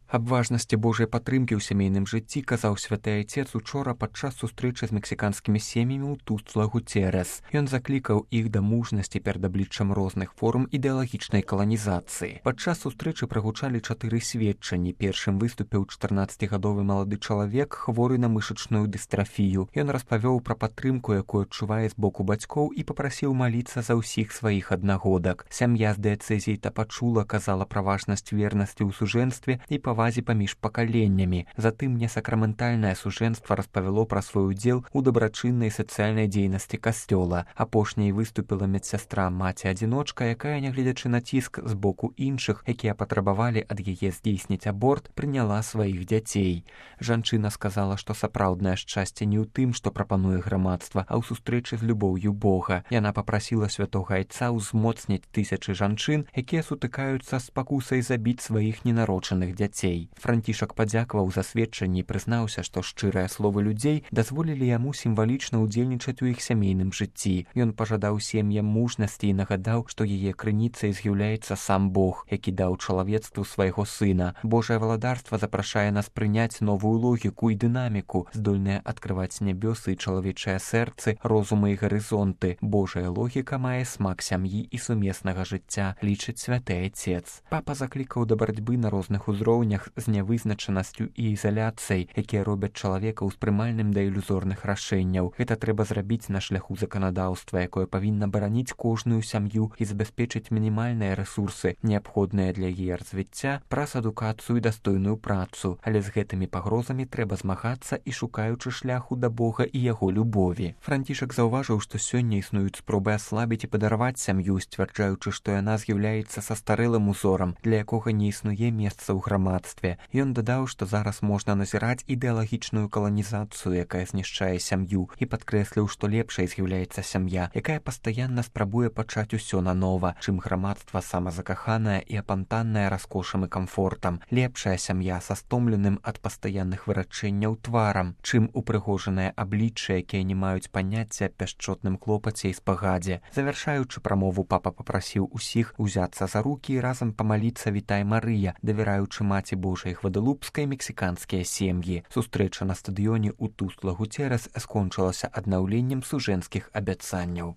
Аб важнасці Божай падтрымкі ў сямейным жыцці казаў святы айцец учора падчас сустрэчы з мексіканскімі сем'ямі ў Тустла-Гуцерес. Ён заклікаў іх да мужнасці перад абліччам розных форм ідэалагічнай каланізацыі. Падчас сустрэчы прагучалі 4 сведчанні. Першым выступіў 14-гадовы малады чалавек, хворы на мышачную дыстрафію. Ён распавёў пра падтрымку, якую адчувае з боку бацькоў, і папрасіў маліцца за ўсіх сваіх аднагодак. Сям'я з дыяцэзіі Тапачула казала пра важнасць вернасці ў сужэнстве і павазе паміж пакаленнямі. Затым несакраментальнае сужэнства распавяло пра свой удзел у дабрачыннай сацыяльнай дзейнасці касцёла. Апошняй выступіла медсястра, маці-адзіночка, якая, нягледзячы на ціск з боку іншых, якія патрабавалі ад яе здзейсніць аборт, прыняла сваіх дзяцей. Жанчына сказала, што сапраўднае шчасце не ў тым, што прапануе грамадства, а ў сустрэчы з любоўю Бога. Яна папрасіла святога айца ўзмоцніць тысячы жанчын, якія сутыкаюцца з спакусай забіць сваіх ненароджаных дзяцей. Францішак падзякаваў за сведчанні і прызнаўся, што шчырыя словы людзей дазволілі яму сімвалічна ўдзельнічаць у іх сямейным жыцці. Ён пажадаў сем'ям мужнасці і нагадаў, што яе крыніцай з'яўляецца сам Бог, які даў чалавецтву свайго сына. Божае валадарства запрашае нас прыняць новую логіку і дынаміку, здольныя адкрываць нябёсы і чалавечыя сэрцы, розумы і гарызонты. Божая логіка мае смак сям'і і сумеснага жыцця, лічыць святы айцец. Папа заклікаў да барацьбы на розных узроўнях з нявызначанасцю і ізаляцыяй, якія робяць чалавека ўспрымальным да ілюзорных рашэнняў. Гэта трэба зрабіць на шляху заканадаўства, якое павінна бараніць кожную сям'ю і забяспечыць мінімальныя рэсурсы, неабходныя для яе развіцця, праз адукацыю і дастойную працу. Але з гэтымі пагрозамі трэба змагацца і шукаючы шляху да Бога і яго любові. Францішак заўважыў, што сёння існуюць спробы аслабіць і падарваць сям'ю, сцвярджаючы, што яна з'яўляецца састарэлым узорам, для якога не існуе месца ў грамадстве. Ён дадаў, што зараз можна назіраць ідэалагічную каланізацыю, якая знішчае сям'ю, і падкрэсліў, што лепшай з'яўляецца сям'я, якая пастаянна спрабуе пачаць усё нанова, чым грамадства самазакаханае і апантанае раскошам і камфортам. Лепшая сям'я са стомленым ад пастаянных вырачэнняў тварам, чым упрыгожанае аблічча, якія не маюць паняцця аб пяшчотным клопаце і спагадзе. Завяршаючы прамову, папа папрасіў усіх узяцца за рукі і разам памаліцца «Вітай, Марыя», давяраючы маці Божай Гвадалупскай мексіканскія сем'і. Сустрэча на стадыёне ў Тустла-Гуцерес скончылася аднаўленнем сужэнскіх абяцанняў.